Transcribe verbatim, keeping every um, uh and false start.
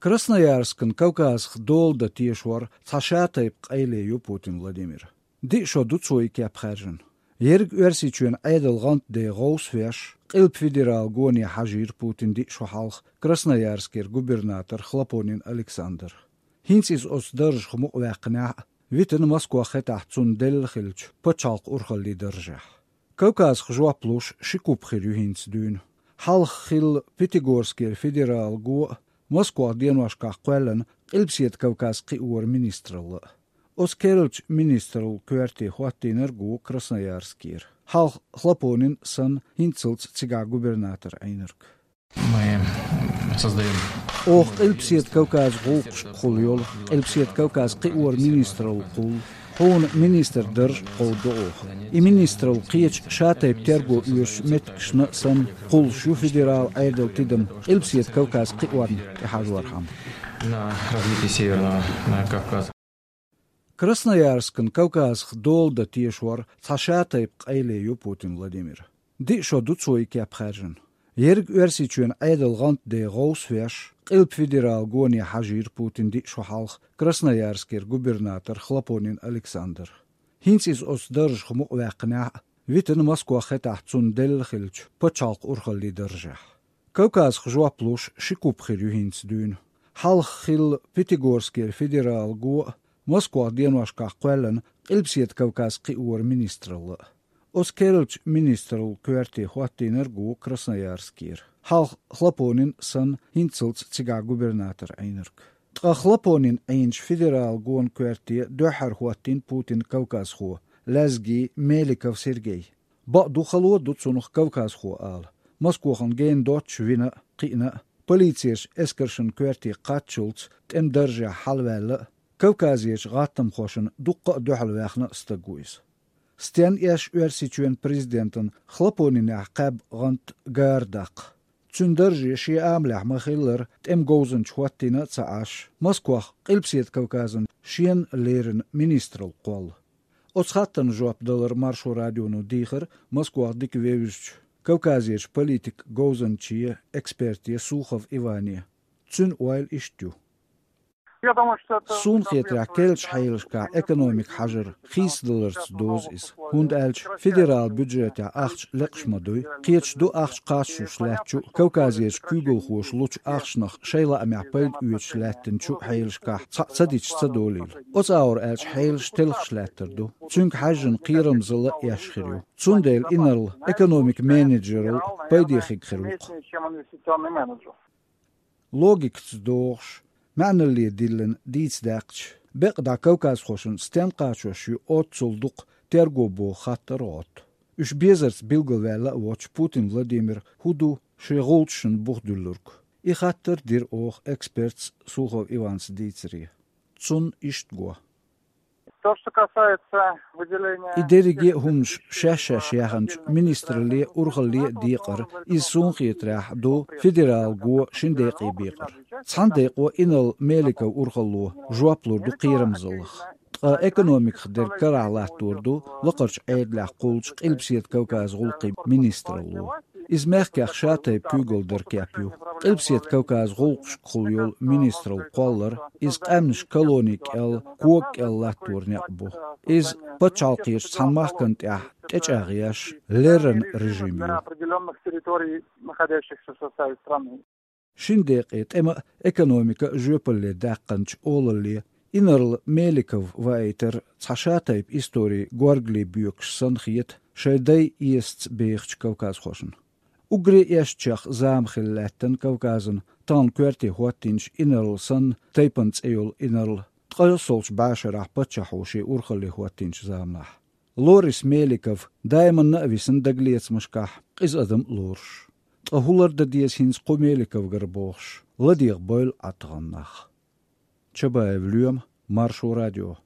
Красноярскан Кавказах дола дан тешор цхьа шатайпа къайле ю Путин Владимира. Диъ шо ду цо и кеп хаьржина. Ерриг Оьрсийчоьнан Ӏедал гӀанта де гӀовс а веш, Къилба федералан гоне хьажийра Путин диъ шо хьалха Красноярскера губернатор Хлопонин Александр. ХӀинца иза оцу даржах мукъаваьккхинехь а, витина Москох хетахь цунна делла хиллачу пачхьалкхан урхаллин даржехь. Кавказах жоп луш ши куп хир ю хӀинца дуьйна. Хьалха хилла Пятигорскера федералан го а, Москох деношкахь кхоьллина Къилбаседа Кавказан кхиоран министралла а. Оцу керлачу министраллин коьрте хӀоттийнарг ву Красноярскера. Хьалха Хлопонин санна хӀинццалц цигахь губернатор Ӏийнарг. Мы создаём Оха Къилбаседа Кавказан гӀуллакхашкахула йолу, Къилбаседа Кавказан кхиоран министралла кхуллу. Хьуна министр дарж кховдадо оха. И министралла кхечу шатайпа терго оьшучу меттигашна а санна кхуллуш ю федералан Ӏедалан тидам Къилбаседа Кавказан кхиорна тӀехьажорхьама. На развитие Северного, э, Кавказа. Красноярскан Кавказах дола дан тешор цхьа шатайпа къайле ю Путин Владимира. Диъ шо ду цо и кеп хаьржина. Ерриг Оьрсийчоьнан Ӏедал гӀанта де гӀовс а веш, Къилба федералан гоне хьажийра Путин диъ шо хьалха Красноярскера губернатор Хлопонин Александр. ХӀинца иза оцу даржах мукъаваьккхинехь а, витина Москох хетахь цунна делла хиллачу пачхьалкхан урхаллин даржехь. Кавказах жоп луш ши куп хир ю хӀинца дуьйна. Хьалха хилла Пятигорскера федералан го а, Москох деношкахь кхоьллина Къилбаседа Кавказан кхиоран министралла а. Оцу керлачу министраллин коьрте хӀоттийнарг ву Красноярскера. Хьалха Хлопонин санна хӀинццалц цигахь губернатор Ӏийнарг. Ткъа Хлопонин Ӏийначу федералан гонан коьрте дуьххьара хӀоттийна Путинан кавказхо, лаьзги Меликов Сергей. Бакъду, хало ду цунах кавказхо ала. Москохана гена доццуш вина а, кхиъна а, полицерчу эскаршна коьрте кхаччалц тӀеман даржехь хьалаваьлла а, Кавказерчу гӀаттамхошна дуккха а дуьхьалваьхна а стаг ву иза. Стенна эш Оьрсийчоьнан президентана Хлопонинехь кхаьбна гӀант гара даккха? Цуьнан дарже шен амалехь ма-хиллара, тӀеман говзанча хӀоттийна а ца Ӏаш, Москох Къилбаседа Кавказана шена леррина министралла кхолла. Оцу хаттарна жоп далар Маршо радионо дийхира Москох дика вевзачу Кавказерчу политикан говзанче, эксперте Сухов Иване. Цуьнан ойла иштта ю. Я думаю, что это Суна хетарехь, керлачу хьелашкахь экономика хьажар хийцадаларца дозу иза, хӀунда аьлча федералан бюджетехь ахча лекъаш ма дуй, кхеташ ду ахча кхаччалц лаьттачу а, Кавказерчу куьйгалхоша лучу ахчанах шайн лаамехь пайда оьцуш лаьттинчу а хьелашкахь цхьаъ ца дича ца долийла. Оцу агӀор аьлча хьелаш телхаш лаьттар ду. Цуьнга хьаьжжина кхерамзалла а эш хир ю. Цундела инарла экономикан менеджералла пайде хиг хир ву-кх. Логикаца догӀуш, маьӀналле диллина дийца даьккхича, бекъа дӀа кавказхошна стенна кхачош ю оццул дукха терго боху хаттар гӀотту. Уьш безарца билгалваьлла а воцуш, Путин Владимира хӀун ду шен гӀулчашна бух дуьллург? И хаттар дира оха экспертца Сухов Иванца дийцаре. Цунна иштта го. То, что касается выделения И дерриге а хӀуманаш шаьш-шаьш яханчу министралле а, урхалле а декъар, иза, суна хетарехь, ду федералан го шина декъе бекъар. Цхьана декъо инарла Меликов урхалло жоп лур ду кхерамзаллах. Ткъа экономиках дерг карахь латтор ду лакхарчу Ӏедалехь кхуллучу Къилбаседа Кавказан гӀуллакхийн министралло. Иза мехкех шатайпа куьйгалла дара кеп ю. Къилбаседа Кавказан гӀуллакхашкахула йолу министралла кхоллар, иза къаьмнаш колони кӀел, кога кӀел латтор некъ бу. Иза пачхьалкхерчу цхьана махкана тӀехь тӀечӀагӀъеш, леррина режим ю. Для определённых территорий, находящихся в составе страны. Шина декъе тӀема а, экономика а жоьпалле даьккхинчу олалле инарла Меликов ваийтар цхьа шатайпа историн горгали боькуш санна хета шайн дай эсаца бехачу кавказхошна. Уггаре эшначех зама хилла лаьттина Кавказана тахана коьрте хӀоттийначу инарла санна, тайпана цӀе йолу инарла, ткъа йоьссалгӀачу бӀешарахь паччахьо шен урхалле хӀоттийначу заманахь. Лорис Меликов даиманна а висина дагалецамашкахь, къиза адам а лоруш. Ткъа хӀун лардан деза хӀинца кху Меликовгара бохуш, ладегӀа бойла Ӏа тахана нах. Чабаев Лоьма, Маршо радио.